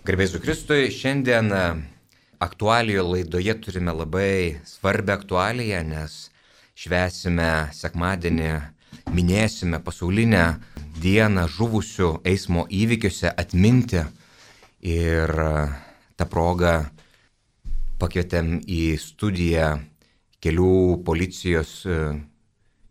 Garbės Jėzui Kristui, šiandien aktualijų laidoje turime labai svarbią aktualiją, nes švęsime sekmadienį, minėsime pasaulinę dieną žuvusių eismo įvykiuose atminti. Ir tą progą pakvietėm į studiją kelių policijos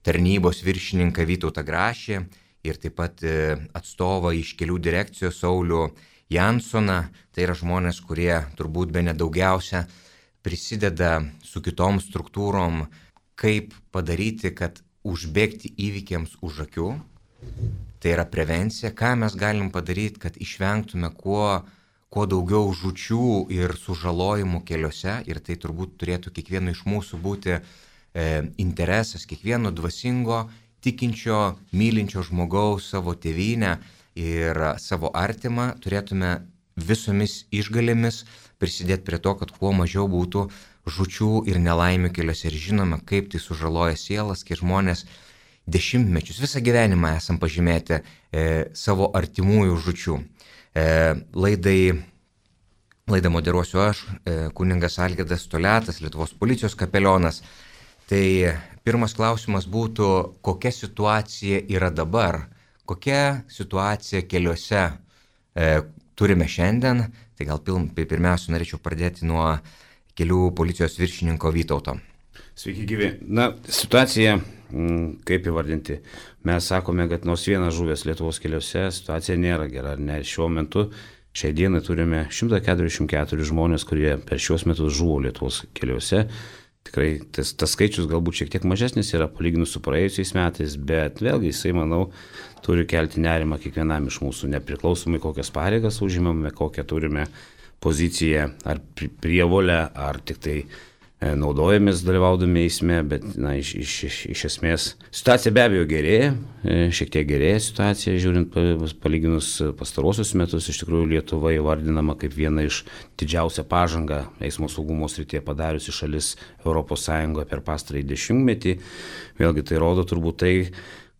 tarnybos viršininką Vytautą Grašį ir taip pat atstovą iš kelių direkcijos Saulių Jansoną. Tai yra žmonės, kurie turbūt bene daugiausia prisideda su kitom struktūrom, kaip padaryti, kad užbėgti įvykiams už akių. Tai yra prevencija, ką mes galim padaryti, kad išvengtume kuo daugiau žūčių ir sužalojimų keliuose. Ir tai turbūt turėtų kiekvieno iš mūsų būti interesas, kiekvieno dvasingo, tikinčio, mylinčio žmogaus savo tėvynę ir savo artimą. Turėtume visomis išgalėmis prisidėti prie to, kad kuo mažiau būtų žūčių ir nelaimių keliuose. Ir žinome, kaip tai sužaloja sielas, kai žmonės dešimtmečius, visą gyvenimą esam pažymėti savo artimųjų žūčių. Laidą moderuosiu aš, kunigas Algirdas Toliatas, Lietuvos policijos kapelionas. Tai pirmas klausimas būtų, kokia situacija yra dabar, kokia situacija keliuose turime šiandien. Tai gal pirmiausia norėčiau pradėti nuo kelių policijos viršininko Vytauto. Sveiki gyvi. Situacija, kaip įvardinti, mes sakome, kad nors vienas žuvęs Lietuvos keliuose, situacija nėra gera. Ne, šiuo metu, šiai dienai turime 144 žmonės, kurie per šios metus žuvo Lietuvos keliuose. Tikrai tas skaičius galbūt šiek tiek mažesnis yra palyginus su praėjusiais metais, bet vėlgi jisai, manau, turi kelti nerimą kiekvienam iš mūsų, nepriklausomai kokias pareigas užimame, kokią turime poziciją, ar prievolę, ar tik tai naudojamės dalyvaudami eisme, bet iš esmės situacija be abejo gerėja, šiek tiek gerėja situacija, žiūrint palyginus pastarosius metus. Iš tikrųjų Lietuva įvardinama kaip viena iš didžiausią pažangą eismo saugumo srityje padariusi šalis ES per pastarąjį dešimtmetį. Vėlgi tai rodo turbūt tai,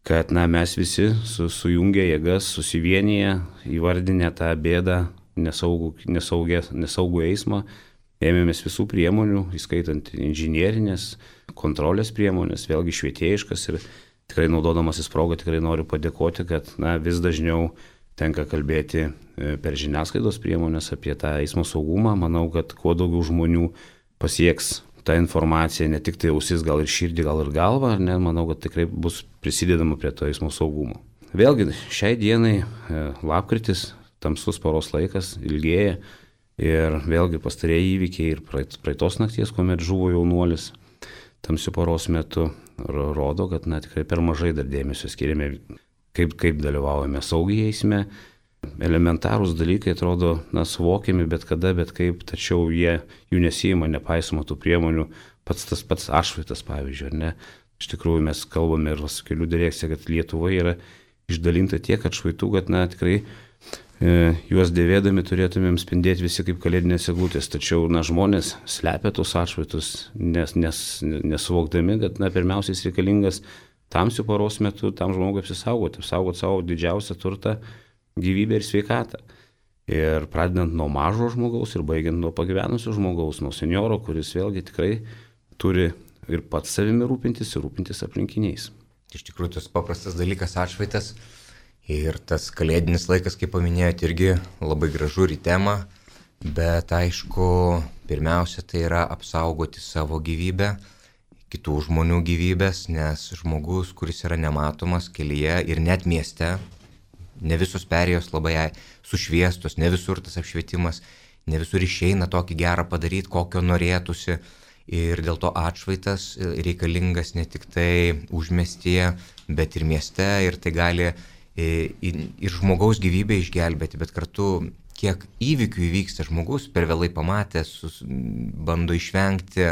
kad mes visi sujungę jėgas, susivienyje, įvardinę tą bėdą, nesaugų eismą, ėmėmės visų priemonių, įskaitant inžinierinės, kontrolės priemonės, vėlgi švietėjiškas, ir tikrai naudodamasis progą tikrai noriu padėkoti, kad vis dažniau tenka kalbėti per žiniasklaidos priemonės apie tą eismo saugumą. Manau, kad kuo daugiau žmonių pasieks tą informaciją, ne tik tai ausis, gal ir širdį, gal ir galvą, manau, kad tikrai bus prisidedama prie to eismo saugumo. Vėlgi, šiai dienai lapkritis, tamsus paros laikas, ilgėja. Ir vėlgi pastarėjai įvykiai ir praeitos nakties, kuomet žuvo jaunuolis tamsiu paros metu, rodo, kad tikrai per mažai dar dėmesio skiriame, kaip dalyvaujame saugiai eisme. Elementarūs dalykai atrodo suvokiami bet kada, bet kaip, tačiau jų nesijima, nepaisoma tų priemonių. Pats atšvaitas, pavyzdžiui, ar ne? Iš tikrųjų mes kalbame ir su kelių direkcija, kad Lietuvoje yra išdalinta tiek atšvaitų, kad tikrai juos dėvėdami turėtumėm spindėti visi kaip kalėdinės eglutės, tačiau žmonės slepia tos atšvaitus, nesuvokdami, kad pirmiausiai reikalingas tamsių paros metu tam žmogui apsaugoti savo didžiausią turtą, gyvybę ir sveikatą. Ir pradedant nuo mažo žmogaus ir baigiant nuo pagyvenusio žmogaus, nuo senioro, kuris vėlgi tikrai turi ir pats savimi rūpintis ir rūpintis aplinkiniais. Iš tikrųjų, tas paprastas dalykas atšvaitas. Ir tas kalėdinis laikas, kaip paminėjote, irgi labai gražu ir į temą, bet aišku, pirmiausia, tai yra apsaugoti savo gyvybę, kitų žmonių gyvybės, nes žmogus, kuris yra nematomas kelyje ir net mieste, ne visos perėjos labai sušviestos, ne visur tas apšvietimas, ne visur išeina tokį gerą padaryti, kokio norėtųsi. Ir dėl to atšvaitas reikalingas ne tik tai užmiestyje, bet ir mieste, ir tai gali ir žmogaus gyvybę išgelbėti, bet kartu kiek įvykių įvyksta, žmogus per vėlai pamatęs, bando išvengti,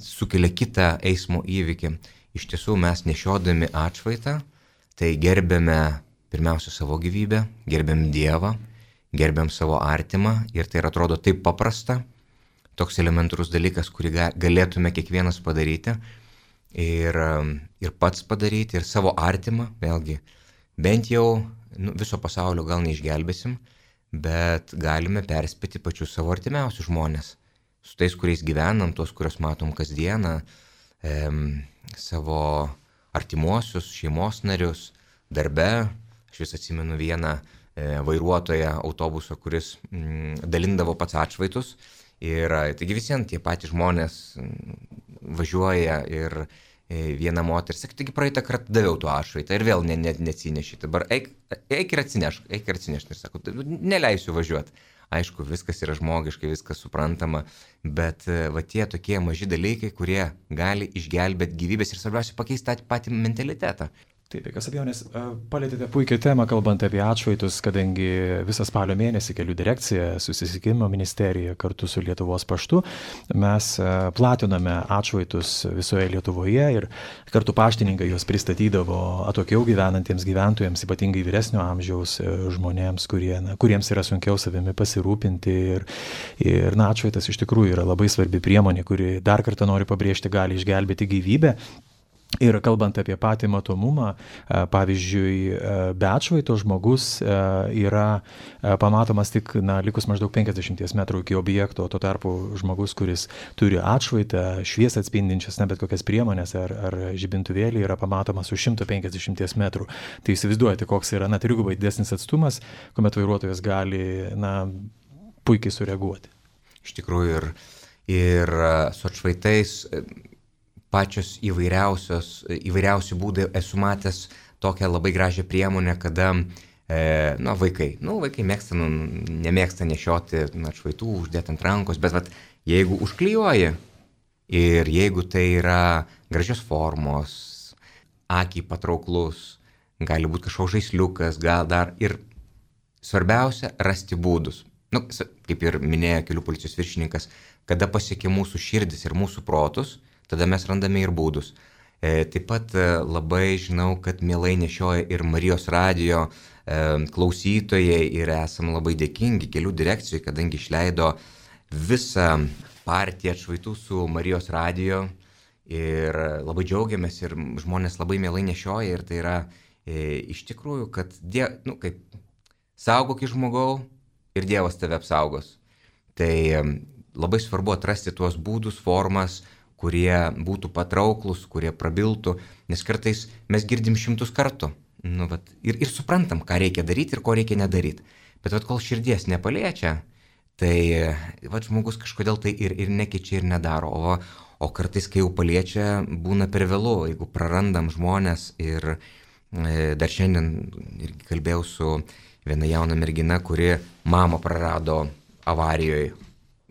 sukelia kitą eismo įvykį. Iš tiesų mes nešiodami atšvaitą, tai gerbėme pirmiausia savo gyvybę, gerbėm Dievą, gerbėm savo artimą, ir tai atrodo taip paprasta, toks elementarus dalykas, kurį galėtume kiekvienas padaryti ir pats padaryti, ir savo artimą, vėlgi, bent jau viso pasaulio gal neišgelbėsim, bet galime perspėti pačius savo artimiausius žmonės. Su tais, kuriais gyvenam, tuos, kuriuos matom kasdieną, savo artimuosius, šeimos narius, darbe. Aš vis atsimenu vieną vairuotoją autobuso, kuris dalindavo pats atšvaitus. Ir taigi visiems tie patys žmonės važiuoja ir viena moteris sakė, taigi praeitą kartą daviau tuo atšvaitą ir vėl neatsinešė. Dabar eik ir atsinešk. Ir sako, neleisiu važiuoti. Aišku, viskas yra žmogiškai, viskas suprantama, bet va tie tokie maži dalykai, kurie gali išgelbėti gyvybės ir svarbiausia pakeisti tą patį mentalitetą. Taip, be jokios abejonės, palėtėte puikiai temą, kalbant apie atšvaitus, kadangi visą spalio mėnesį Kelių direkcija, Susisiekimo ministerija kartu su Lietuvos paštu mes platiname atšvaitus visoje Lietuvoje ir kartu paštininkai juos pristatydavo atokiau gyvenantiems gyventojams, ypatingai vyresnio amžiaus žmonėms, kuriems yra sunkiau savimi pasirūpinti. Ir atšvaitas iš tikrųjų yra labai svarbi priemonė, kuri, dar kartą noriu pabrėžti, gali išgelbėti gyvybę. Ir kalbant apie patį matomumą, pavyzdžiui, be atšvaito žmogus yra pamatomas tik likus maždaug 50 metrų iki objekto, tuo tarpu žmogus, kuris turi atšvaitą, šviesą atspindinčias, bet kokias priemonės ar žibintuvėlį, yra pamatomas už 150 metrų. Tai įsivaizduojate, koks yra trigubai didesnis atstumas, kuomet vairuotojas gali puikiai sureaguoti. Iš tikrųjų ir su atšvaitais pačios įvairiausi būdai. Esu matęs tokią labai gražią priemonę, kada vaikai nemėgsta nešioti atšvaitų, uždėti ant rankos, bet jeigu užklijuoji ir jeigu tai yra gražios formos, akiai patrauklus, gali būti kažkoks žaisliukas, gal dar ir svarbiausia rasti būdus. Kaip ir minėjo kelių policijos viršininkas, kada pasiekia mūsų širdis ir mūsų protus, tada mes randame ir būdus. Taip pat labai žinau, kad mielai nešioja ir Marijos radijo klausytojai ir esam labai dėkingi Kelių direkcijai, kadangi išleido visą partiją atšvaitų su Marijos radijo ir labai džiaugiamės ir žmonės labai mielai nešioja ir tai yra iš tikrųjų, kad saugok žmogau ir Dievas tave apsaugos. Tai labai svarbu atrasti tuos būdus, formas, kurie būtų patrauklus, kurie prabiltų, nes kartais mes girdim 100 kartų ir suprantam, ką reikia daryti ir ko reikia nedaryti. Bet kol širdies nepaliečia, tai žmogus kažkodėl tai ir nekeičia ir nedaro. O kartais, kai jau paliečia, būna per vėlu, jeigu prarandam žmonės. Ir dar šiandien irgi kalbėjau su viena jauna mergina, kuri mamą prarado avarijoje.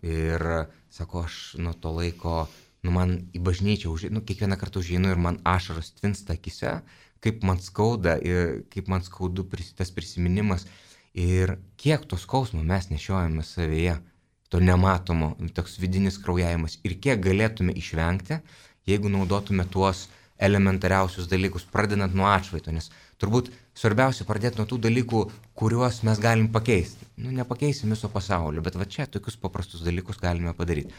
Ir sako, aš nuo to laiko man į bažnyčią, kiekvieną kartą užeinu ir man ašaros tvinsta akise, kaip man skauda ir kaip man skaudu tas prisiminimas ir kiek to skausmo mes nešiojame savyje, to nematomo, toks vidinis kraujavimas ir kiek galėtume išvengti, jeigu naudotume tuos elementariausius dalykus, pradedant nuo atšvaito, nes turbūt svarbiausia pradėti nuo tų dalykų, kuriuos mes galim pakeisti. Nepakeisim viso pasaulio, bet čia tokius paprastus dalykus galime padaryti.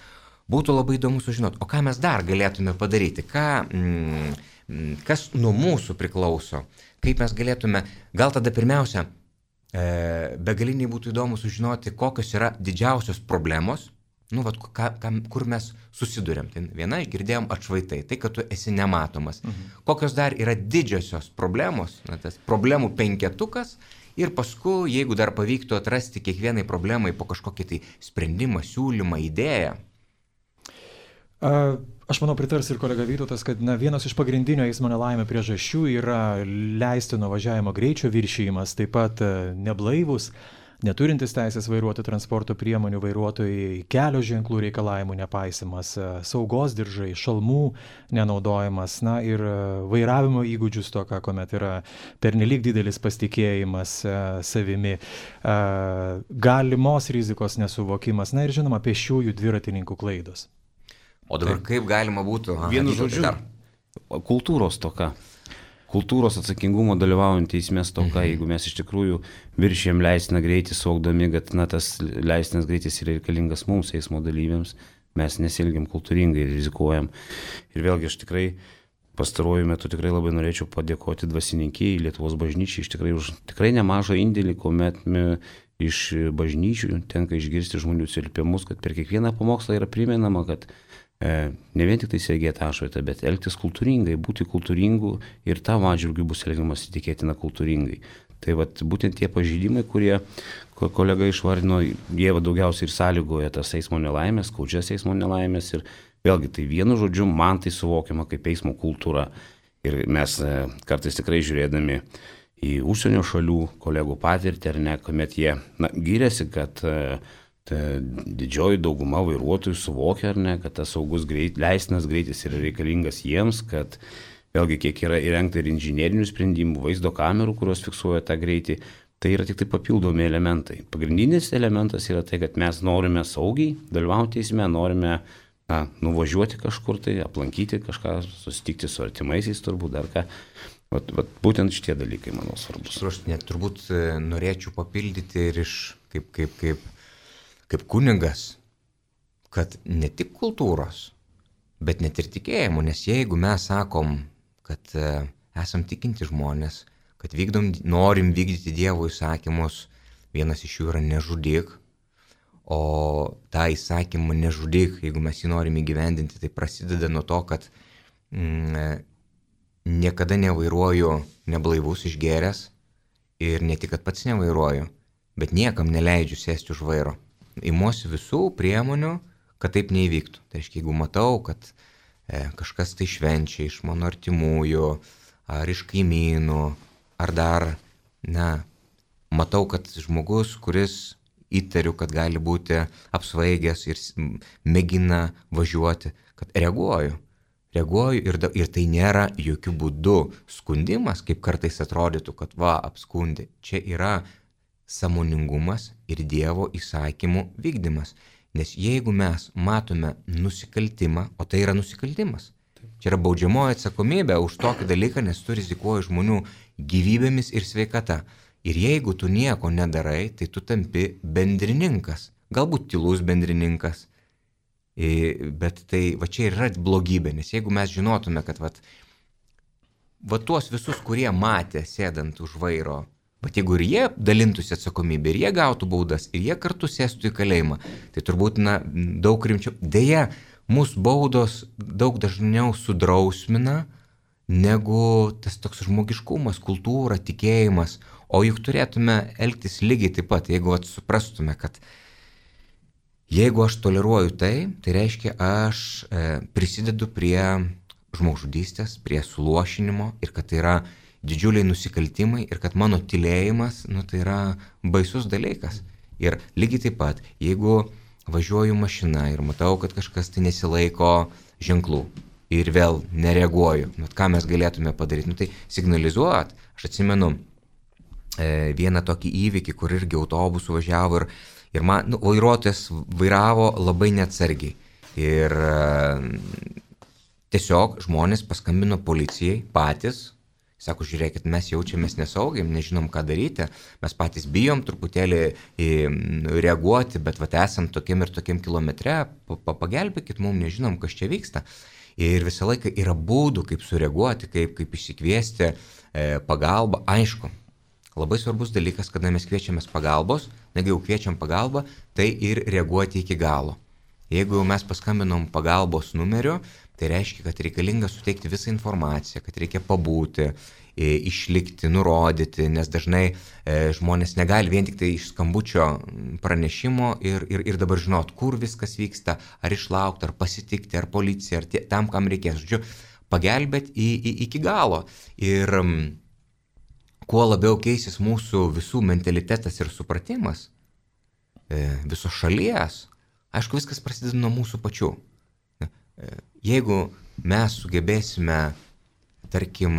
Būtų labai įdomu sužinoti, o ką mes dar galėtume padaryti, kas nuo mūsų priklauso, kaip mes galėtume, gal tada pirmiausia, begaliniai būtų įdomu sužinoti, kokios yra didžiausios problemos, kur mes susidurėm. Tai viena išgirdėjom atšvaitai, tai kad tu esi nematomas. Kokios dar yra didžiosios problemos, tas problemų penketukas ir paskui, jeigu dar pavyktų atrasti kiekvienai problemai po kažkokį tai sprendimą, siūlymą, idėją. Aš manau, pritars ir kolega Vytautas, kad vienas iš pagrindinių eismo nelaimė priežasčių yra leistino važiavimo greičio viršijimas, taip pat neblaivus, neturintis teisės vairuoti transporto priemonių vairuotojai, kelio ženklų reikalavimų nepaisimas, saugos diržai, šalmų nenaudojimas, ir vairavimo įgūdžių stoka, kuomet yra pernelyg didelis pasitikėjimas savimi, galimos rizikos nesuvokimas, ir žinoma, pėsčiųjų dviratininkų klaidos. O dabar kaip galima būtų? Vienu žodžiu, kultūros toka. Kultūros atsakingumo dalyvaujant eisme stoka, jeigu mes iš tikrųjų viršijam leistiną greitį, suvokdami, kad tas leistinas greitis yra reikalingas mums, eismo dalyviams, mes nesielgiam kultūringai ir rizikuojam. Ir vėlgi aš tikrai pastaruoju metu tikrai labai norėčiau padėkoti dvasininkijai, Lietuvos bažnyčiai už tikrai nemažą indėlį, kuomet iš bažnyčių tenka išgirsti žmonių atsiliepimus, kad per kiekvieną pamokslą yra primenama, kad ne vien tik tai segėti atšvaitą, bet elgtis kultūringai, būti kultūringu ir tavo atžvilgiu bus elgiamas įtikėtina kultūringai. Tai vat, būtent tie pažeidimai, kurie kolega išvardino, jie daugiausiai ir sąlygoja tas eismo nelaimės, skaudžias eismo nelaimės ir vėlgi tai vienu žodžiu man tai suvokiama kaip eismo kultūra. Ir mes kartais tikrai žiūrėdami į užsienio šalių kolegų patirtį, ar ne, kuomet jie giriasi, kad didžioji dauguma vairuotojų suvokia, ar ne, kad tas saugus leistinas greitis yra reikalingas jiems, kad vėlgi kiek yra įrengta ir inžinierinių sprendimų, vaizdo kamerų, kurios fiksuoja tą greitį, tai yra tik tai papildomi elementai. Pagrindinis elementas yra tai, kad mes norime saugiai dalyvauti eisme, norime nuvažiuoti kažkur tai, aplankyti kažką, susitikti su artimaisiais turbūt dar ką. Vat būtent šitie dalykai, manau, svarbus. Aš net turbūt norėčiau papildyti ir iš kaip kunigas, kad ne tik kultūros, bet net ir tikėjimo, nes jeigu mes sakom, kad esam tikinti žmonės, kad norim vykdyti Dievo įsakymus, vienas iš jų yra nežudyk, o tą įsakymą nežudyk, jeigu mes jį norim įgyvendinti, tai prasideda nuo to, kad niekada nevairuoju neblaivus išgėręs ir ne tik, kad pats nevairuoju, bet niekam neleidžiu sėsti už vairo. Imuosi visų priemonių, kad taip neįvyktų. Tai reiškia, jeigu matau, kad kažkas tai švenčia iš mano artimųjų, ar iš kaimynų, ar dar, matau, kad žmogus, kuris įtariu, kad gali būti apsvaigęs ir mėgina važiuoti, kad reaguoju ir tai nėra jokių būdų skundimas, kaip kartais atrodytų, kad apskundė. Čia yra sąmoningumas ir Dievo įsakymų vykdymas. Nes jeigu mes matome nusikaltimą, o tai yra nusikaltimas, čia yra baudžiamoji atsakomybė už tokį dalyką, nes tu rizikuoji žmonių gyvybėmis ir sveikata. Ir jeigu tu nieko nedarai, tai tu tampi bendrininkas, galbūt tylus bendrininkas. Bet tai čia yra blogybė, nes jeigu mes žinotume, kad tuos visus, kurie matė sėdant už vairo, bet jeigu ir jie dalintųsi atsakomybę, ir jie gautų baudas, ir jie kartu sėstų į kalėjimą, tai turbūt daug rimčiau. Deja, mūsų baudos daug dažniau sudrausmina, negu tas toks žmogiškumas, kultūra, tikėjimas. O juk turėtume elgtis lygiai taip pat, jeigu suprastume, kad jeigu aš toleruoju tai reiškia, aš prisidedu prie žmogžudystės, prie suluošinimo ir kad tai yra didžiuliai nusikaltimai ir kad mano tylėjimas, tai yra baisus dalykas. Ir lygiai taip pat, jeigu važiuoju mašina ir matau, kad kažkas tai nesilaiko ženklų ir vėl nereaguoju, ką mes galėtume padaryti, tai signalizuot. Aš atsimenu vieną tokį įvykį, kur irgi autobusų važiavo ir man vairuotojas vairavo labai neatsargiai. Ir tiesiog žmonės paskambino policijai patys, sako, žiūrėkit, mes jaučiamės nesaugiai, nežinom ką daryti, mes patys bijom truputėlį reaguoti, bet esam tokiam ir tokiam kilometre, pagelbėkit mums, nežinom, kas čia vyksta. Ir visą laiką yra būdų, kaip sureaguoti, kaip išsikviesti pagalbą. Aišku, labai svarbus dalykas, kada mes kviečiamės pagalbos, negi jau kviečiam pagalbą, tai ir reaguoti iki galo. Jeigu mes paskambinom pagalbos numeriu, tai reiškia, kad reikalinga suteikti visą informaciją, kad reikia pabūti, išlikti, nurodyti, nes dažnai žmonės negali vien tik tai iš skambučio pranešimo ir dabar žinot, kur viskas vyksta, ar išlaukti, ar pasitikti, ar policija, ar tam, kam reikės. Žodžiu, pagelbėti iki galo. Ir kuo labiau keisis mūsų visų mentalitetas ir supratimas, visos šalies, aišku, viskas prasideda nuo mūsų pačių. Jeigu mes sugebėsime, tarkim,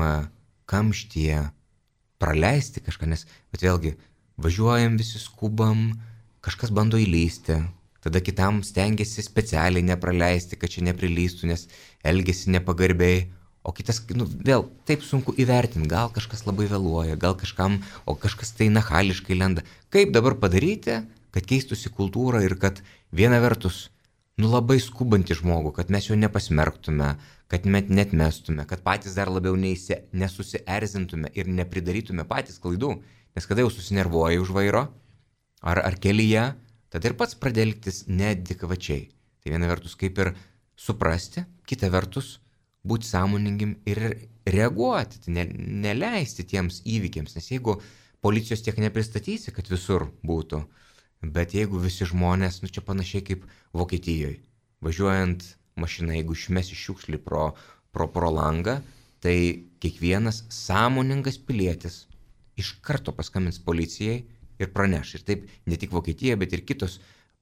kamštyje praleisti kažką, bet vėlgi važiuojam, visi skubam, kažkas bando įlysti, tada kitam stengiasi specialiai nepraleisti, kad čia neprilystų, nes elgesi nepagarbiai, o kitas, vėl taip sunku įvertinti, gal kažkas labai vėluoja, gal kažkas tai nachališkai lenda. Kaip dabar padaryti, kad keistųsi kultūra ir kad viena vertus labai skubantį žmogų, kad mes jo nepasmerktume, kad net mestume, kad patys dar labiau nesusierzintume ir nepridarytume patys klaidų, nes kada jau susinervuoji už vairo, ar kelyje, tada ir pats pradedi elgtis neadekvačiai. Tai viena vertus kaip ir suprasti, kita vertus būti sąmoningim ir reaguoti, neleisti tiems įvykiams, nes jeigu policijos tiek nepristatysi, kad visur būtų, bet jeigu visi žmonės, čia panašiai kaip Vokietijoje, važiuojant mašiną, jeigu išmesi šiukšlį pro langą, tai kiekvienas sąmoningas pilietis iš karto paskambins policijai ir praneš. Ir taip ne tik Vokietija, bet ir kitos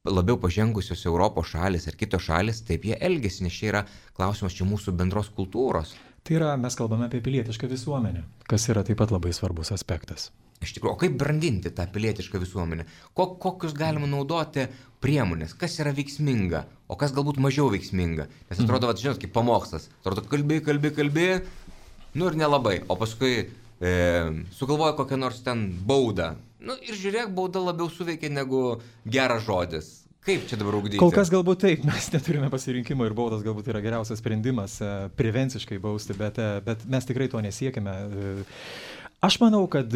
labiau pažengusios Europos šalis ar kitos šalis, taip jie elgesi, nes čia yra klausimas čia mūsų bendros kultūros. Tai yra, mes kalbame apie pilietišką visuomenę, kas yra taip pat labai svarbus aspektas. Iš tikrųjų, o kaip brandinti tą pilietišką visuomenę? Kokius galima naudoti priemonės? Kas yra veiksminga, o kas galbūt mažiau veiksminga? Nes atrodo, žinot, kaip pamokslas. Atrodo, kalbi, ir nelabai. O paskui sugalvoja kokią nors ten baudą. Ir žiūrėk, bauda labiau suveikia negu geras žodis. Kaip čia dabar ugdyti? Kol kas galbūt taip, mes neturime pasirinkimo ir baudas galbūt yra geriausias sprendimas prevenciškai bausti, bet mes tikrai to nesiekime. Aš manau, kad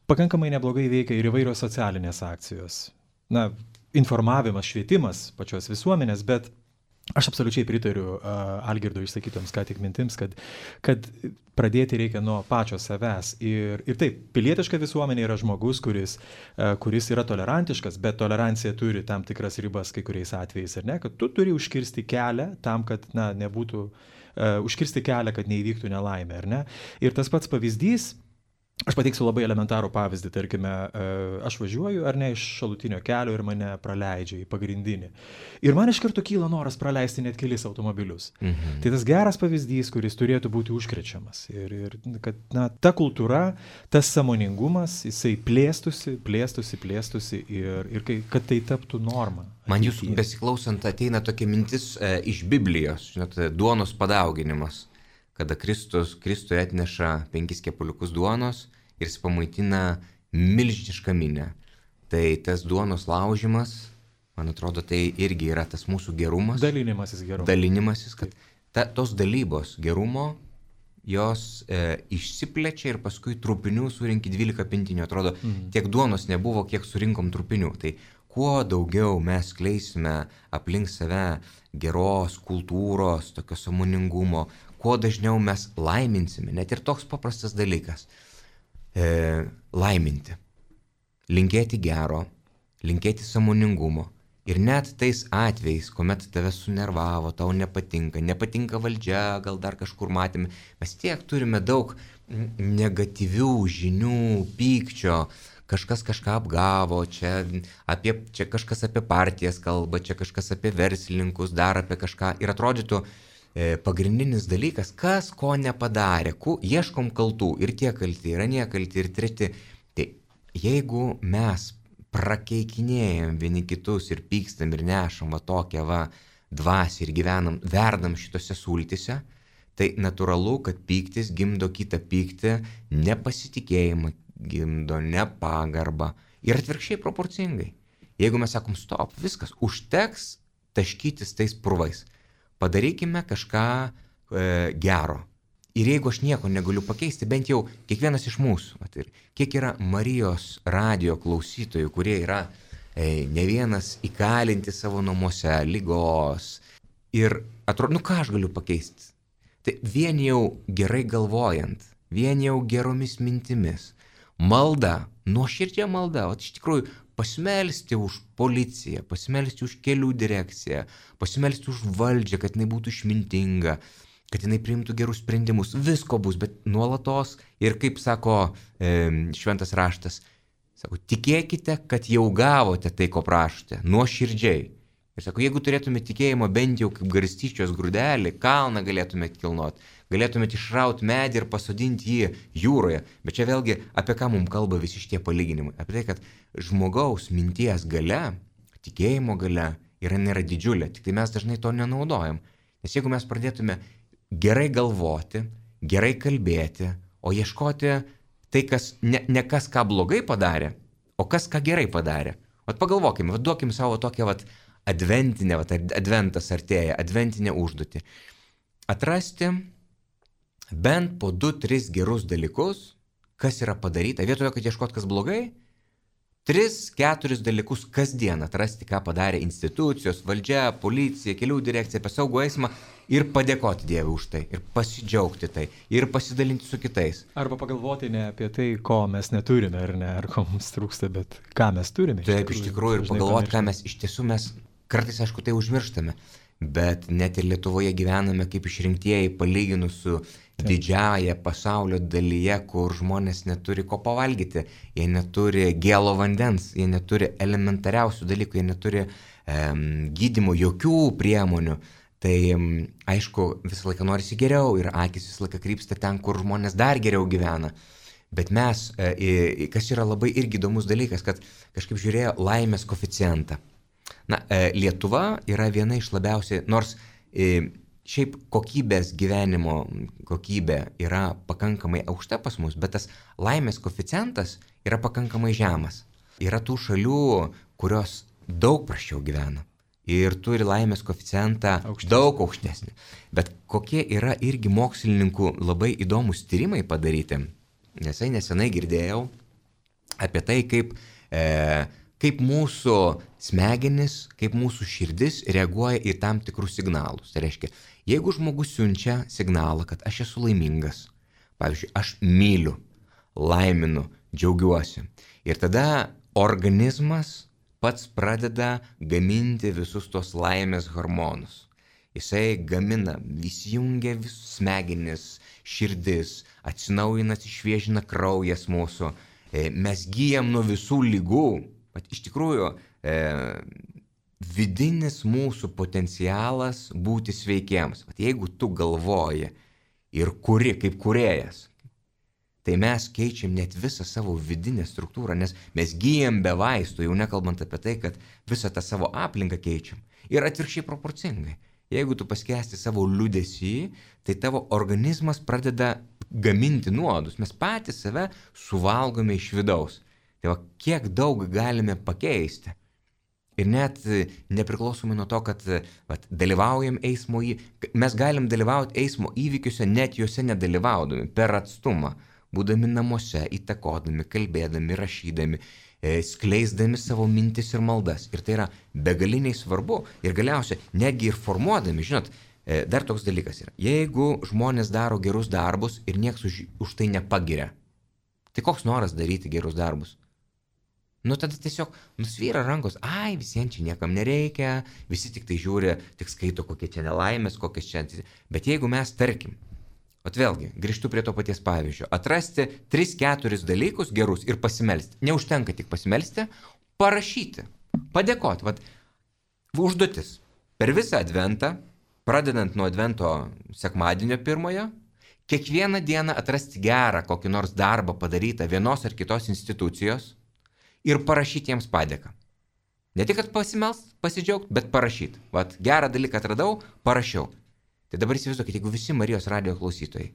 pakankamai neblogai veikia ir įvairios socialinės akcijos. Informavimas, švietimas pačios visuomenės, bet aš absoliučiai pritariu Algirdo išsakytoms ką tik mintims, kad pradėti reikia nuo pačio savęs. Ir taip, pilietiška visuomenė yra žmogus, kuris yra tolerantiškas, bet tolerancija turi tam tikras ribas kai kuriais atvejais, ar ne? Kad tu turi užkirsti kelią tam, kad nebūtų, užkirsti kelią, kad neįvyktų nelaimė, ar ne? Ir tas pats pavyzdys, aš pateiksiu labai elementarų pavyzdį, tarkime, aš važiuoju ar ne iš šalutinio kelio ir mane praleidžia į pagrindinį. Ir man iš karto kyla noras praleisti net kelis automobilius. Tai tas geras pavyzdys, kuris turėtų būti užkrečiamas. Ir kad ta kultūra, tas sąmoningumas, jisai plėstųsi ir kad tai taptų norma. Man jūsų besiklausant ateina tokia mintis iš Biblijos, žinot, duonos padauginimas. Kada Kristui atneša 5 kepuliukus duonos ir jis pamaitina milžinišką minią. Tai tas duonos laužimas, man atrodo, tai irgi yra tas mūsų gerumas. Dalinimasis, kad tos dalybos gerumo, jos išsiplečia ir paskui trupinių surinki 12 pintinių. Atrodo, tiek duonos nebuvo, kiek surinkom trupinių. Tai kuo daugiau mes kleisime aplink save geros kultūros, tokio sąmoningumo, kuo dažniau mes laiminsime, net ir toks paprastas dalykas, laiminti, linkėti gero, linkėti sąmoningumo. Ir net tais atvejais, kuomet tave sunervavo, tau nepatinka valdžia, gal dar kažkur matėme, mes tiek turime daug negatyvių žinių, pykčio, kažkas kažką apgavo, čia kažkas apie partijas kalba, čia kažkas apie verslininkus, dar apie kažką. Ir atrodytų, pagrindinis dalykas, kas ko nepadarė, ieškom kaltų ir tie kalti, ir anie kalti, ir treti. Tai jeigu mes prakeikinėjom vieni kitus ir pykstam ir nešam tokią dvasią ir verdam šitose sultise, tai natūralu, kad pyktis gimdo kitą pyktį, nepasitikėjimą gimdo, nepagarbą ir atvirkščiai proporcingai. Jeigu mes sakom stop, viskas, užteks taškytis tais purvais. Padarykime kažką gero. Ir jeigu aš nieko negaliu pakeisti, bent jau kiekvienas iš mūsų, ir kiek yra Marijos radijo klausytojų, kurie yra ne vienas įkalinti savo namuose, ligos. Ir atrodo, ką aš galiu pakeisti? Tai vien jau gerai galvojant, vien jau geromis mintimis, malda, nuoširdžia malda, iš tikrųjų, pasimelsti už policiją, pasimelsti už kelių direkciją, pasimelsti už valdžią, kad jinai būtų išmintinga, kad jinai priimtų gerus sprendimus. Visko bus, bet nuolatos ir kaip sako šventas raštas, sako, tikėkite, kad jau gavote tai, ko prašote, nuoširdžiai. Ir sako, jeigu turėtumėte tikėjimo bent jau kaip garstyčios grūdelį, kalną galėtumėte kilnoti, galėtumėte išrauti medį ir pasodinti jį jūroje. Bet čia vėlgi apie ką mums kalba visi šitie palyginimai. Apie tai, kad žmogaus minties galia, tikėjimo galia nėra didžiulė, tik tai mes dažnai to nenaudojam. Nes jeigu mes pradėtume gerai galvoti, gerai kalbėti, o ieškoti tai, kas ne kas ką blogai padarė, o kas ką gerai padarė. Pagalvokime, duokim savo tokią adventinę, adventas artėja, adventinę užduotį. Atrasti bent po 2-3 gerus dalykus, kas yra padaryta. Vietoje, kad ieškot kas blogai, 3-4 dalykus kasdien atrasti, ką padarė institucijos, valdžia, policija, kelių direkcija, apie saugų eismą ir padėkoti Dievui už tai, ir pasidžiaugti tai, ir pasidalinti su kitais. Arba pagalvoti ne apie tai, ko mes neturime, ar ko mums trūksta, bet ką mes turime. Taip, iš tikrųjų, ir pagalvoti, ką mes iš tiesų mes kartais, aišku, tai užmirštame, bet net ir Lietuvoje gyvename kaip išrinktieji palyginus su didžiąją pasaulio dalyje, kur žmonės neturi ko pavalgyti, jie neturi gėlo vandens, jie neturi elementariausių dalykų, jie neturi gydymo, jokių priemonių. Tai aišku, visą laiką norisi geriau ir akis visą laiką krypsta ten, kur žmonės dar geriau gyvena. Bet mes, kas yra labai irgi įdomus dalykas, kad kažkaip žiūrėjo laimės koeficientą. Na, Lietuva yra viena iš labiausiai, nors šiaip kokybės gyvenimo kokybė yra pakankamai aukšta pas mus, bet tas laimės koeficientas yra pakankamai žemas. Yra tų šalių, kurios daug prasčiau gyvena ir turi laimės koeficientą daug aukštesnį. Bet kokie yra irgi mokslininkų labai įdomus tyrimai padaryti. Nesenai girdėjau apie tai, kaip mūsų smegenis, kaip mūsų širdis reaguoja į tam tikrus signalus. Tai reiškia, jeigu žmogus siunčia signalą, kad aš esu laimingas, pavyzdžiui, aš myliu, laiminu, džiaugiuosi, ir tada organizmas pats pradeda gaminti visus tos laimės hormonus. Jisai gamina, įsijungia visus smegenis, širdis, atsinaujina, išviežina kraujas mūsų, mes gyjam nuo visų ligų. Bet iš tikrųjų, vidinis mūsų potencialas būti sveikiems. Bet jeigu tu galvoji ir kuri kaip kūrėjas, tai mes keičiam net visą savo vidinę struktūrą, nes mes gyjam be vaistų, jau nekalbant apie tai, kad visą tą savo aplinką keičiam. Ir atvirkščiai proporcingai. Jeigu tu paskęsti savo liūdesį, tai tavo organizmas pradeda gaminti nuodus. Mes patys save suvalgome iš vidaus. Tai va, kiek daug galime pakeisti. Ir net nepriklausomai nuo to, kad dalyvaujam eismo mes galim dalyvauti eismo įvykiuose, net juose nedalyvaudami, per atstumą, būdami namuose, įtakodami, kalbėdami, rašydami, skleisdami savo mintis ir maldas. Ir tai yra begaliniai svarbu. Ir galiausiai, netgi ir formuodami, žinot, dar toks dalykas yra. Jeigu žmonės daro gerus darbus ir nieks už tai nepagiria, tai koks noras daryti gerus darbus? Nu tada tiesiog nusvyra rankos, visiems čia niekam nereikia, visi tik tai žiūri, tik skaito, kokie čia nelaimės, kokias čia. Bet jeigu mes, tarkim, vėlgi, grįžtu prie to paties pavyzdžio, atrasti 3-4 dalykus gerus ir pasimelsti. Neužtenka tik pasimelsti, parašyti, padėkoti. Užduotis. Per visą adventą, pradedant nuo advento sekmadienio pirmojo, kiekvieną dieną atrasti gerą kokį nors darbą padarytą vienos ar kitos institucijos ir parašyti jiems padėką. Ne tik, kad pasimelst, pasidžiaugt, bet parašyti. Gerą dalyką atradau, parašiau. Tai dabar įsivaizduokit, jeigu visi Marijos radijo klausytojai,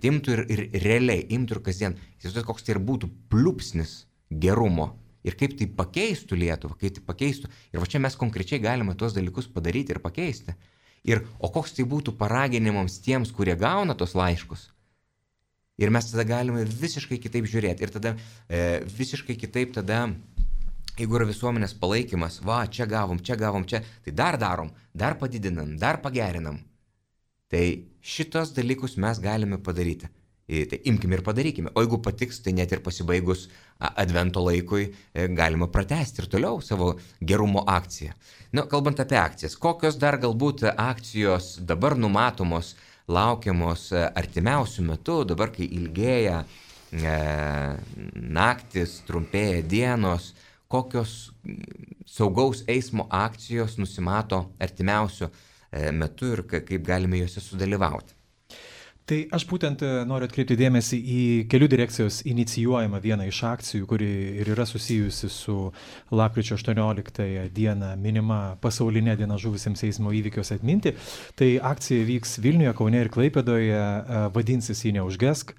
imtų ir realiai, imtų ir kasdien, įsivaizduokit, koks tai ir būtų pliupsnis gerumo ir kaip tai pakeistų Lietuvą, kaip tai pakeistų. Ir čia mes konkrečiai galime tuos dalykus padaryti ir pakeisti. O koks tai būtų paraginimams tiems, kurie gauna tos laiškus. Ir mes tada galime visiškai kitaip žiūrėti. Ir tada visiškai kitaip tada, jeigu yra visuomenės palaikymas, čia gavom, tai dar darom, dar padidinam, dar pagerinam. Tai šitos dalykus mes galime padaryti. Tai imkime ir padarykime. O jeigu patiks, tai net ir pasibaigus advento laikui galima pratęsti ir toliau savo gerumo akciją. Kalbant apie akcijas, kokios dar galbūt akcijos dabar numatomos, laukiamos artimiausių metų, dabar kai ilgėja naktis, trumpėja dienos, kokios saugaus eismo akcijos nusimato artimiausių metų ir kaip galime juose sudalyvauti. Tai aš būtent noriu atkreipti dėmesį į kelių direkcijos inicijuojamą vieną iš akcijų, kuri ir yra susijusi su lapkričio 18 dieną minima pasaulinė diena žuvusiems eismo įvykiuose atminti. Tai akcija vyks Vilniuje, Kaune ir Klaipėdoje, vadinsis Ji neužgesk.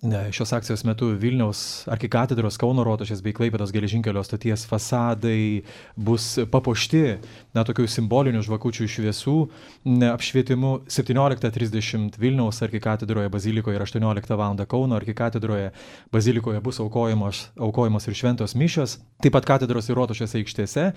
Šios akcijos metu Vilniaus arkikatedros, Kauno rotušės bei Klaipėdos geležinkelio stoties fasadai bus papuošti tokių simbolinių žvakučių šviesų apšvietimu. 17:30 Vilniaus arkikatedros arkikatedroje bazilikoje ir 18 val. Kauno arkikatedroje bazilikoje bus aukojamos ir šventos mišios. Taip pat katedros ir rotušės aikštėse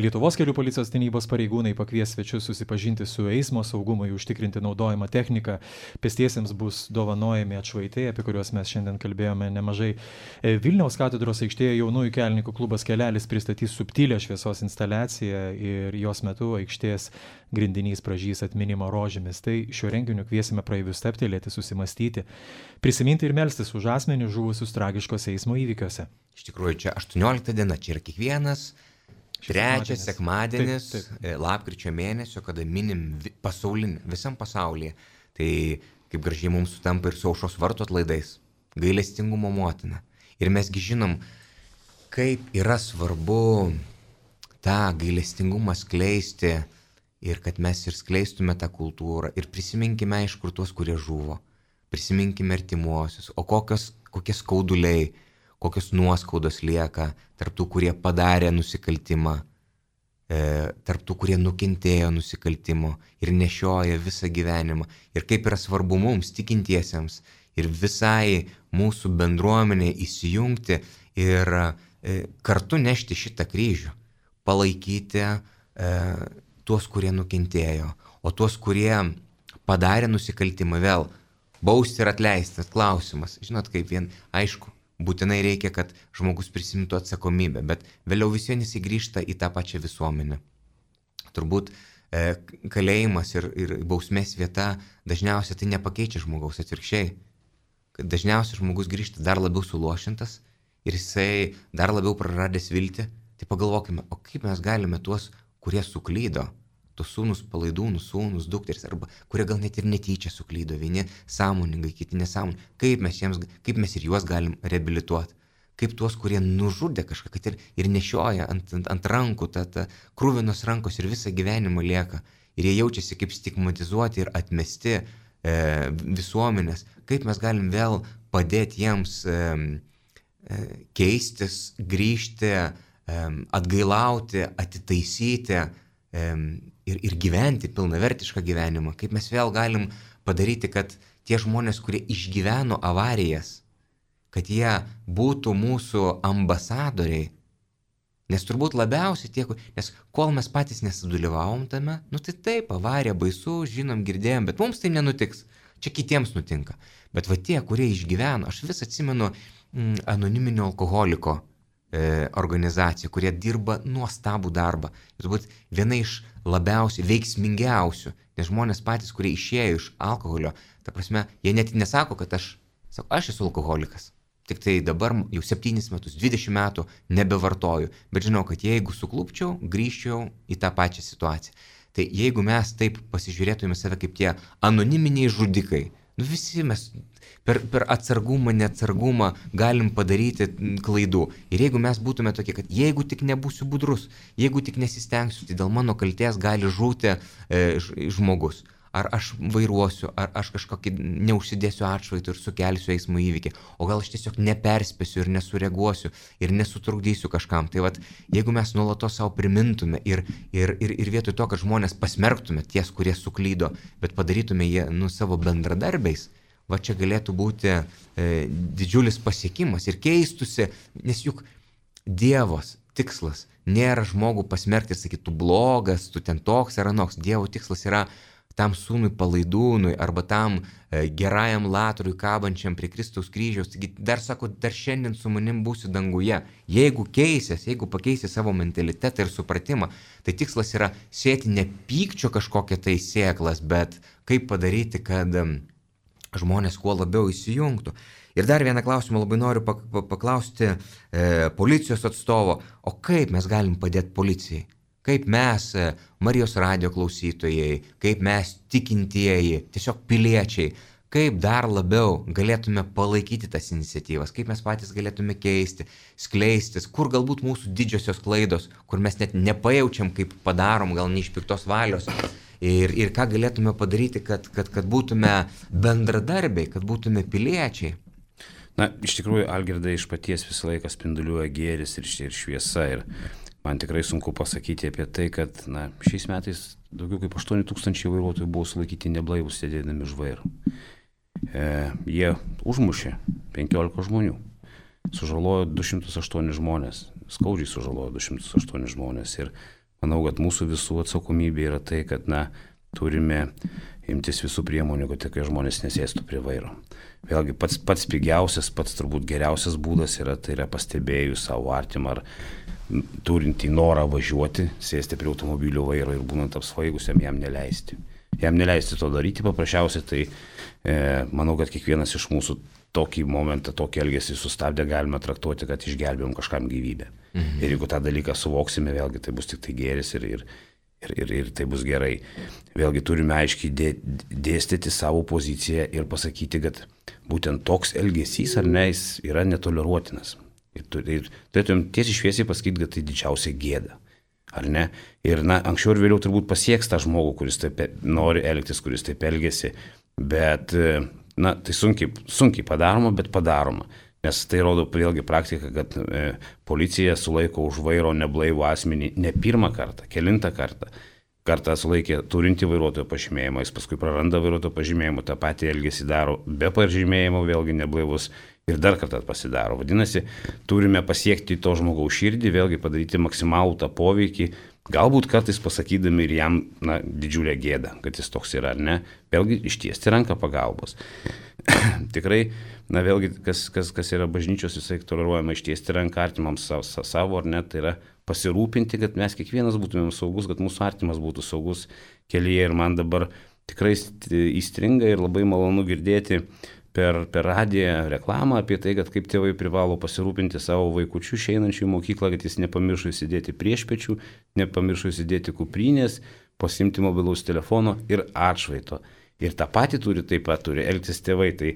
Lietuvos kelių policijos tarnybos pareigūnai pakvies svečius susipažinti su eismo saugumui užtikrinti naudojimą techniką. Pėstiesiems bus dovanojami atšvaitai, apie kuriuos mes šiandien kalbėjome nemažai. Vilniaus katedros aikštėje jaunųjų kelininkų klubas Kelelis pristatys subtilę šviesos instaliaciją ir jos metu aikštės grindinys pražys atminimo rožėmis. Tai šiuo renginiu kviesime praeivius stabtelėti, susimastyti, prisiminti ir melstis už asmenių žuvusius tragiškose eismo įvykiuose. Iš tikrųjų, čia 18 diena, čia yra kiekvienas trečias sekmadienis lapkričio mėnesio, kada minim pasaulinį, visam pasaulyje. Tai kaip gražiai mums sutampa ir su aušros vartų atlaidais, gailestingumo motina. Ir mesgi žinom, kaip yra svarbu tą gailestingumą skleisti ir kad mes ir skleistume tą kultūrą ir prisiminkime iš kur tuos, kurie žuvo, prisiminkime artimuosius, o kokie skauduliai, kokios nuoskaudos lieka tarp tų, kurie padarė nusikaltimą, tarp tų, kurie nukentėjo nusikaltimo ir nešioja visą gyvenimą. Ir kaip yra svarbu mums, tikintiesiems, ir visai mūsų bendruomenė įsijungti ir kartu nešti šitą kryžių, palaikyti tuos, kurie nukentėjo, o tuos, kurie padarė nusikaltimą, vėl bausti ir atleisti. Klausimas, žinot, kaip vien, aišku, būtinai reikia, kad žmogus prisimtų atsakomybę, bet vėliau vis vien jis grįžta į tą pačią visuomenę. Turbūt kalėjimas ir bausmės vieta dažniausiai tai nepakeičia žmogaus, atvirkščiai. Dažniausiai žmogus grįžta dar labiau suluošintas ir jisai dar labiau praradęs viltį. Tai pagalvokime, o kaip mes galime tuos, kurie suklydo, tos sūnus palaidūnus, sūnus, dukteris, arba kurie gal net ir netyčia suklydo, vieni sąmoningai, kiti nesąmoningai, kaip mes ir juos galim reabilituoti, kaip tuos, kurie nužudė kažką, kad ir nešioja ant rankų, krūvinos rankos ir visą gyvenimą lieka, ir jie jaučiasi kaip stigmatizuoti ir atmesti visuomenės, kaip mes galim vėl padėti jiems keistis, grįžti, atgailauti, atitaisyti ir gyventi pilnavertišką gyvenimą. Kaip mes vėl galim padaryti, kad tie žmonės, kurie išgyveno avarijas, kad jie būtų mūsų ambasadoriai. Nes turbūt labiausiai nes kol mes patys nesudalyvavom tame, tai taip, avarija baisu, žinom, girdėjom, bet mums tai nenutiks. Čia kitiems nutinka. Bet va tie, kurie išgyveno, aš vis atsimenu anoniminio alkoholiko organizacija, kurie dirba nuostabų darbą. Ir turbūt viena iš labiausiai veiksmingiausių, nes žmonės patys, kurie išėjo iš alkoholio, ta prasme, jie net nesako, kad aš esu alkoholikas. Tik tai dabar jau 7 metus, 20 metų nebevartoju, bet žinau, kad jeigu suklupčiau, grįžčiau į tą pačią situaciją. Tai jeigu mes taip pasižiūrėtume save kaip tie anoniminiai žudikai, visi mes per atsargumą, neatsargumą galim padaryti klaidų. Ir jeigu mes būtume tokie, kad jeigu tik nebūsiu budrus, jeigu tik nesistengsiu, tai dėl mano kaltės gali žūti žmogus. Ar aš vairuosiu, ar aš kažkokį neužsidėsiu atšvaitą ir sukelsiu eismo įvykį, o gal aš tiesiog neperspėsiu ir nesureaguosiu ir nesutrukdysiu kažkam. Tai vat, jeigu mes nuolatos savo primintume ir vietoj to, kad žmonės pasmerktume ties, kurie suklydo, bet padarytume jie savo bendradarbiais, va čia galėtų būti didžiulis pasiekimas ir keistusi, nes juk Dievos tikslas nėra žmogų pasmerkti ir sakyti, tu blogas, tu ten toks ar anoks. Dievo tikslas yra tam sūnui palaidūnui arba tam gerajam latrui kabančiam prie Kristaus kryžiaus. Taigi dar sako, dar šiandien su manim būsi danguje. Jeigu pakeisi savo mentalitetą ir supratimą, tai tikslas yra sėti ne pykčio kažkokią tai sėklas, bet kaip padaryti, kad žmonės kuo labiau įsijungtų. Ir dar vieną klausimą labai noriu paklausti policijos atstovo, o kaip mes galim padėti policijai? Kaip mes, Marijos radijo klausytojai, kaip mes tikintieji, tiesiog piliečiai, kaip dar labiau galėtume palaikyti tas iniciatyvas, kaip mes patys galėtume keisti, skleistis, kur galbūt mūsų didžiosios klaidos, kur mes net nepajaučiam, kaip padarom, gal ne iš piktos valios. Ir ką galėtume padaryti, kad būtume bendradarbiai, kad būtume piliečiai. Na, iš tikrųjų, Algirdai, iš paties visą laiką spinduliuoja gėris ir šviesa. Ir man tikrai sunku pasakyti apie tai, kad šiais metais daugiau kaip 8 000 vairuotojų buvo sulaikyti neblaivus sėdėdami už vairo. Jie užmušė 15 žmonių, sužalojo 208 žmonės, skaudžiai sužalojo 208 žmonės ir manau, kad mūsų visų atsakomybė yra tai, kad turime imtis visų priemonių, kad tokie žmonės nesėstų prie vairo. Vėlgi pats pigiausias, pats turbūt geriausias būdas tai yra pastebėjus savo artimą ar turintį norą važiuoti, sėsti prie automobilio vairo ir būnant apsvaigusiam jam neleisti. Jam neleisti to daryti paprasčiausiai, tai manau, kad kiekvienas iš mūsų tokį momentą, tokį elgesį sustabdę galime traktuoti, kad išgelbėjom kažkam gyvybę. Ir jeigu tą dalyką suvoksime, vėlgi tai bus tik tai gėris ir tai bus gerai. Vėlgi turime aiškiai dėstyti savo poziciją ir pasakyti, kad būtent toks elgesys ar ne, jis yra netoleruotinas. Ir turėtum tiesiai šviesiai pasakyti, kad tai didžiausia gėda. Ar ne? Ir anksčiau ir vėliau turbūt pasieks tą žmogų, kuris taip nori elgtis, kuris taip elgesi, bet tai sunkiai padaroma, bet padaroma. Nes tai rodo vėlgi praktika, kad policija sulaiko už vairo neblaivų asmenį ne pirmą kartą, kelintą kartą. Kartą sulaikė turinti vairuotojo pažymėjimą, jis paskui praranda vairuotojo pažymėjimą, tą patį elgesį daro be pažymėjimo, vėlgi neblaivus ir dar kartą pasidaro. Vadinasi, turime pasiekti to žmogaus širdį, vėlgi padaryti maksimalų tą poveikį, galbūt kartais pasakydami ir jam didžiulę gėdą, kad jis toks yra ar ne, vėlgi ištiesti ranką pagalbos. Tikrai, vėlgi, kas yra bažnyčios visai toleruojama, ištiesti ranką artimams savo ar ne, tai yra pasirūpinti, kad mes kiekvienas būtumėm saugus, kad mūsų artimas būtų saugus kelyje. Ir man dabar tikrai įstringa ir labai malonu girdėti per radiją reklamą apie tai, kad kaip tėvai privalo pasirūpinti savo vaikučių išeinančių į mokyklą, kad jis nepamiršo įsidėti priešpečių, nepamiršo įsidėti kuprinės, pasimti mobilaus telefono ir atšvaito. Ir tą patį taip pat turi elgtis tėvai. Tai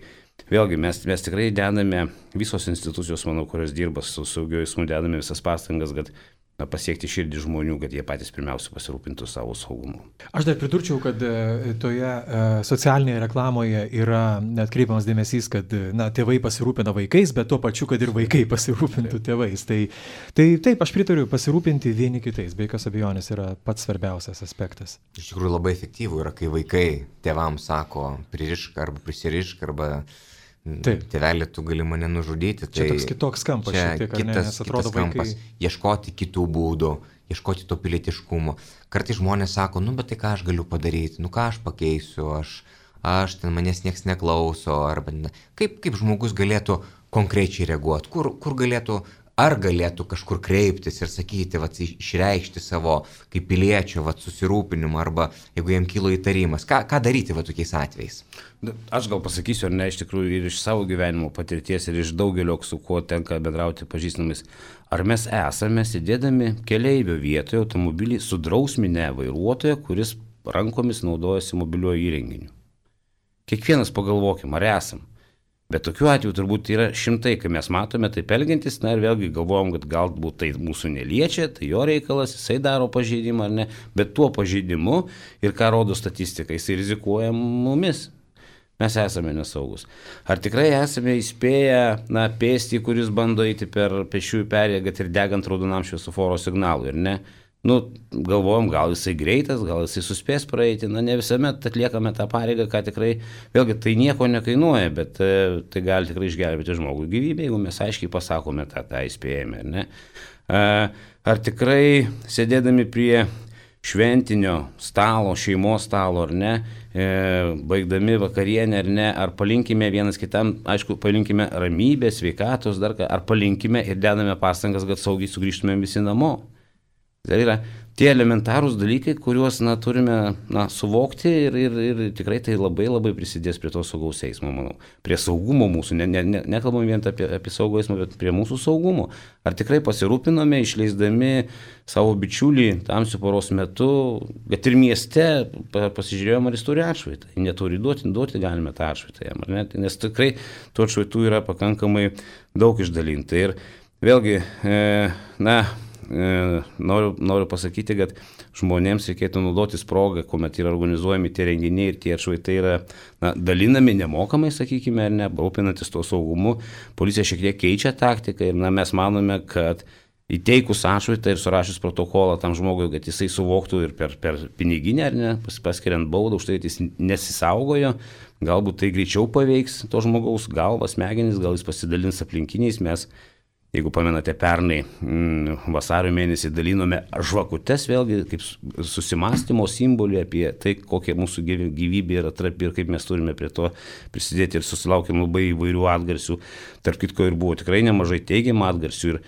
vėlgi mes tikrai dedame, visos institucijos, manau, kurios dirba su saugiu eismu, dedame visas pastangas, kad pasiekti širdį žmonių, kad jie patys pirmiausia pasirūpintų savo saugumu. Aš dar pridurčiau, kad toje socialinėje reklamoje yra atkreipiamas dėmesys, kad tėvai pasirūpina vaikais, bet tuo pačiu, kad ir vaikai pasirūpintų tėvais. Tai taip, aš pritariu, pasirūpinti vieni kitais, be jokios abejonės yra pats svarbiausias aspektas. Iš tikrųjų labai efektyvų yra, kai vaikai tėvams sako pririšk arba prisirišk arba tėvelė, tu gali mane nužudyti. Čia toks kitoks kampas, kitas kampas, ieškoti kitų būdų, ieškoti to pilietiškumo. Kartais žmonės sako, bet tai ką aš galiu padaryti, ką aš pakeisiu, aš ten manęs nieks neklauso, arba kaip žmogus galėtų konkrečiai reaguoti, kur galėtų, ar galėtų kažkur kreiptis ir sakyti, išreikšti savo kaip piliečio susirūpinimą, arba jeigu jam kilo įtarimas, ką daryti tokiais atvejais? Aš gal pasakysiu, ar ne, iš tikrųjų ir iš savo gyvenimo patirties ir iš daugelio, su kuo tenka bendrauti pažįstamis, ar mes esame sėdėdami keleivio vietoje automobilį sudrausminę vairuotoją, kuris rankomis naudojasi mobiliuoju įrenginiu. Kiekvienas pagalvokim, ar esam. Bet tokių atvejų turbūt yra šimtai, kai mes matome taip elgiantis, ir vėlgi galvojam, kad galbūt tai mūsų neliečia, tai jo reikalas, jisai daro pažeidimą ar ne, bet tuo pažeidimu ir ką rodo statistika, jisai rizikuoja mumis. Mes esame nesaugus. Ar tikrai esame įspėję, pėstį, kuris bando eiti per pėsčiųjų perėją, kad ir degant raudonam šviesoforo signalui, ir ne? Galvojom, gal jisai greitas, gal jisai suspės praeiti, ne visuomet atliekame tą pareigą, ką tikrai, vėlgi tai nieko nekainuoja, bet tai gali tikrai išgelbėti žmogų gyvybę, jeigu mes aiškiai pasakome tą įspėjimą, ne? Ar tikrai sėdėdami prie šventinio stalo, šeimos stalo, ar ne, baigdami vakarienę, ar ne, ar palinkime vienas kitam, aišku, palinkime ramybės, sveikatos, ar palinkime ir dedame pastangas, kad saugiai sugrįžtume visi namo. Tai yra tie elementarūs dalykai, kuriuos turime suvokti ir tikrai tai labai labai prisidės prie to saugaus eismo, manau. Prie saugumo mūsų, nekalbam vien apie saugų eismą, bet prie mūsų saugumo. Ar tikrai pasirūpinome, išleisdami savo bičiulį tamsiu paros metu, kad ir mieste pasižiūrėjom, ar jis turi atšvaitą. Neturi duoti galime tą atšvaitą jam, ar ne? Nes tikrai tų atšvaitų yra pakankamai daug išdalinta. Ir vėlgi, noriu pasakyti, kad žmonėms reikėtų naudotis progą, kuomet yra organizuojami tie renginiai ir tie atšvaitai yra dalinami nemokamai, sakykime, ar ne, rūpinantis to saugumu. Policija šiek tiek keičia taktiką ir mes manome, kad įteikus atšvaitą ir surašius protokolą tam žmogui, kad jisai suvoktų ir per piniginę, ar ne, paskiriant baudą už tai, kad jis nesisaugojo, galbūt tai greičiau paveiks to žmogaus galvą, smegenis, gal jis pasidalins aplinkiniais. Mes, jeigu pamenate, pernai vasario mėnesį dalinome žvakutes, vėlgi kaip susimąstymo simbolį apie tai, kokia mūsų gyvybė yra trapi ir kaip mes turime prie to prisidėti, ir susilaukėm labai įvairių atgarsių. Tarp kitko ir buvo tikrai nemažai teigiamų atgarsių ir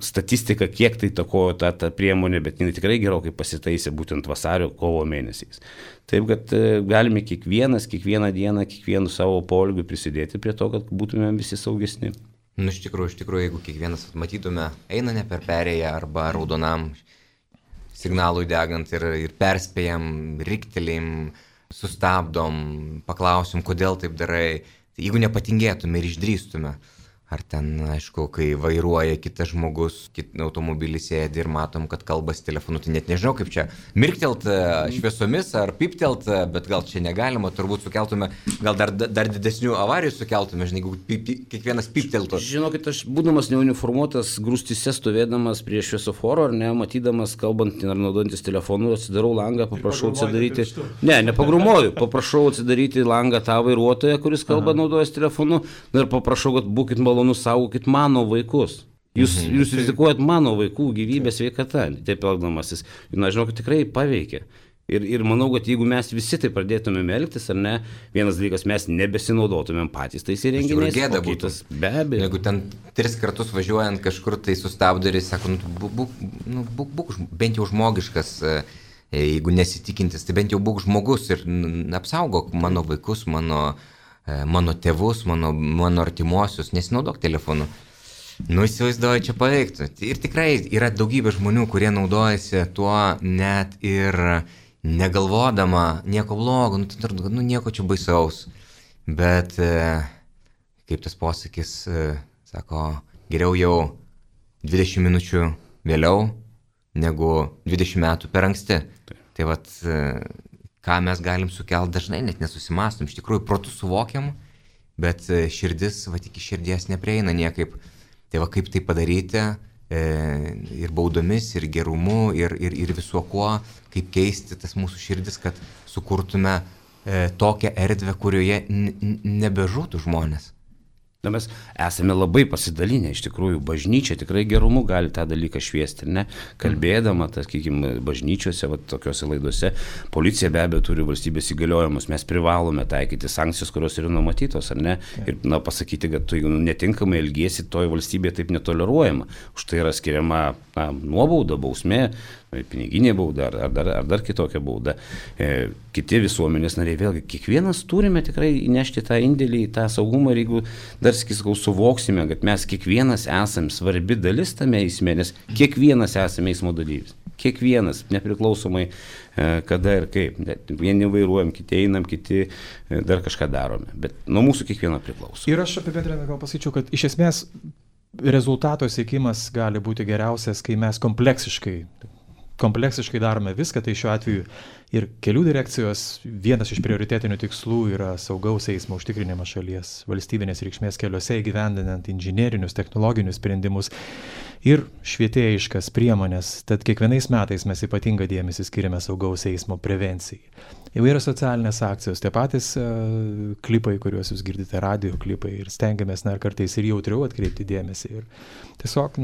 statistika, kiek tai takojo ta priemonė, bet jinai tikrai gerokai pasitaisė būtent vasario, kovo mėnesiais. Taip, kad galime kiekvieną dieną, kiekvienu savo poelgiu prisidėti prie to, kad būtumėm visi saugesni. Iš tikrųjų, jeigu kiekvienas matytume, eina ne per perėją arba raudonam signalui degant ir perspėjam, riktelėjim, sustabdom, paklausim, kodėl taip darai, tai jeigu nepatingėtume ir išdrįstume. Ar ten, aišku, kai vairuoja kitas žmogus, automobilį sėdi ir matom, kad kalbasi telefonu, tai net nežinau, kaip čia mirktelt šviesomis ar piptelt, bet gal čia negalima, turbūt sukeltume, gal dar didesnių avarijų sukeltume, žinai, jeigu kiekvienas pipteltų. Žinokit, aš būdamas neuniformuotas, grūstyse stovėdamas prie šviesoforo, ar ne, matydamas, kalbant ar naudojantis telefonu, atsidarau langą, paprašau atsidaryti. Ne, nepagrumuoju, paprašau atsidaryti langą tą vairuotoją, kuris kalba naudojas telefonu, ir paprašau, kad būkit malonus, saugokit mano vaikus. Jūs rizikuojat mano vaikų gyvybės sveikatą, taip elgdamasis. Na, žinau, kad tikrai paveikia. Ir manau, kad jeigu mes visi tai pradėtumėm elgtis, ar ne, vienas dalykas, mes nebesinaudotumėm patys tais įrenginiais. Gėda būtų. Be abejo. Jeigu ten 3 kartus važiuojant kažkur tai sustabdo ir sako, būk bent jau žmogiškas, jeigu nesitikintis, tai bent jau būk žmogus ir apsaugok mano vaikus, mano tėvus, mano artimuosius, nesinaudok telefonu. Įsivaizduoju, čia paveiktų. Ir tikrai yra daugybė žmonių, kurie naudojasi tuo net ir negalvodama nieko blogo, nieko čia baisaus. Bet, kaip tas posakis, sako, geriau jau 20 minučių vėliau, negu 20 metų per anksti. Tai vat, ką mes galim sukelti, dažnai net nesusimastom, iš tikrųjų protu suvokiam, bet širdis, iki širdies neprieina niekaip. Tai va, kaip tai padaryti, ir baudomis, ir gerumu, ir visuo kuo, kaip keisti tas mūsų širdis, kad sukurtume tokią erdvę, kurioje nebežūtų žmonės. Mes esame labai pasidalinę, iš tikrųjų, bažnyčia tikrai gerumu gali tą dalyką šviesti, ne? Kalbėdama, sakykime, bažnyčiose, tokiuose laiduose, policija be abejo turi valstybės įgaliojimus, mes privalome taikyti sankcijas, kurios yra numatytos, ar ne? Ir pasakyti, kad tu netinkamai elgiesi, toje valstybėje taip netoleruojama. Už tai yra skiriama nuobauda, bausmė, piniginė bauda ar dar kitokia bauda. Kiti visuomenės nariai, vėlgi, kiekvienas turime tikrai įnešti tą indėlį į tą saugumą, ir jeigu dar suvoksime, kad mes kiekvienas esame svarbi dalis tame eisme, nes kiekvienas esame eismo dalyvis. Kiekvienas, nepriklausomai kada ir kaip. Vieni vairuojam, kiti einam, kiti dar kažką darome. Bet nuo mūsų kiekvieno priklauso. Ir aš apibendrinant gal pasakyčiau, kad iš esmės rezultato siekimas gali būti geriausias, kai mes kompleksiškai darome viską, tai šiuo atveju ir kelių direkcijos vienas iš prioritetinių tikslų yra saugaus eismo užtikrinimas šalies valstybinės reikšmės keliuose, įgyvendinant inžinerinius, technologinius sprendimus ir švietėjiškas priemonės. Tad kiekvienais metais mes ypatingą dėmesį skiriame saugaus eismo prevencijai. Įvairios socialinės akcijos, tie patys klipai, kuriuos jūs girdite, radio klipai, ir stengiamės kartais ir jautriau atkreipti dėmesį. Ir tiesiog,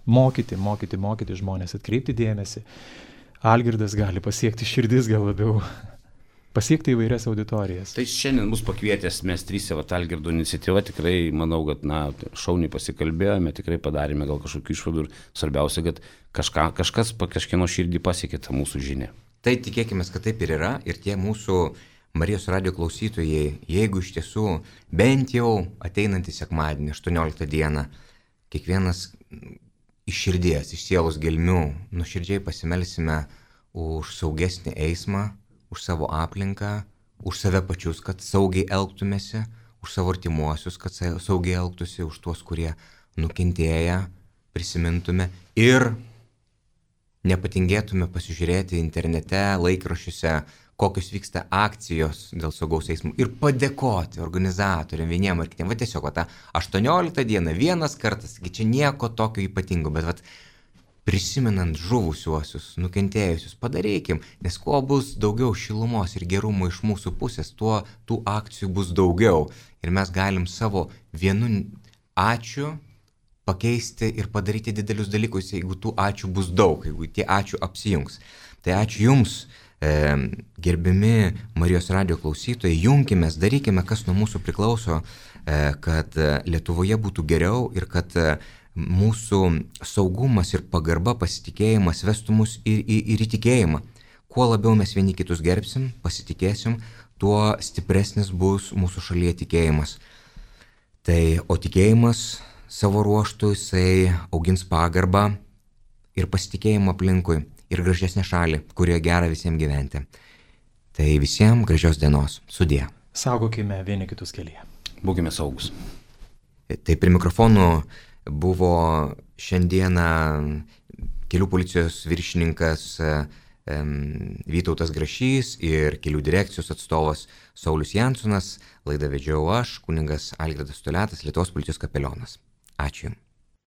mokyti žmonės, atkreipti dėmesį. Algirdas gali pasiekti širdis, gal labiau pasiekti įvairias auditorijas. Tai šiandien mus pakvietęs, mes trysia, Algirdo iniciatyva, tikrai manau, kad šauniai pasikalbėjome, tikrai padarėme gal kažkokių išvadų ir svarbiausia, kad kažkas kažkieno širdį pasiekė tą mūsų žinią. Tai tikėkime, kad taip ir yra, ir tie mūsų Marijos radijo klausytojai, jeigu iš tiesų bent jau ateinantį sekmadienį, 18 dieną, kiekvienas iš širdies, iš sielos gelmių nuoširdžiai pasimelsime už saugesnį eismą, už savo aplinką, už save pačius, kad saugiai elgtumėsi, už savo artimuosius, kad saugiai elgtųsi, už tuos, kurie nukentėję, prisimintume ir nepatingėtume pasižiūrėti internete, laikraščiuose, kokios vyksta akcijos dėl saugaus eismo ir padėkoti organizatoriam vieniem ar kitiem. Va tiesiog, va, tą 18 dieną vienas kartas, čia nieko tokio ypatingo, bet va, prisimenant žuvusiuosius, nukentėjusius, padarykim, nes kuo bus daugiau šilumos ir gerumo iš mūsų pusės, tuo tų akcijų bus daugiau. Ir mes galim savo vienu ačiū pakeisti ir padaryti didelius dalykus, jeigu tų ačiū bus daug, jeigu tie ačiū apsijungs. Tai ačiū Jums, gerbiami Marijos radijo klausytojai, junkimės, darykime, kas nuo mūsų priklauso, kad Lietuvoje būtų geriau ir kad mūsų saugumas ir pagarba, pasitikėjimas vestų mus ir į tikėjimą. Kuo labiau mes vieni kitus gerbsim, pasitikėsim, tuo stipresnis bus mūsų šalyje tikėjimas. Tai, o tikėjimas savo ruoštų jisai augins pagarbą ir pasitikėjimą aplinkui ir gražesnę šalį, kurioje gera visiems gyventi. Tai visiems gražios dienos. Sudie. Saugokime vieni kitus kelyje. Būkime saugus. Tai prie mikrofonų buvo šiandieną kelių policijos viršininkas Vytautas Grašys ir kelių direkcijos atstovas Saulius Jansonas. Laidą vedžiau aš, kunigas Algirdas Toliatas, Lietuvos policijos kapelionas. Ačiū.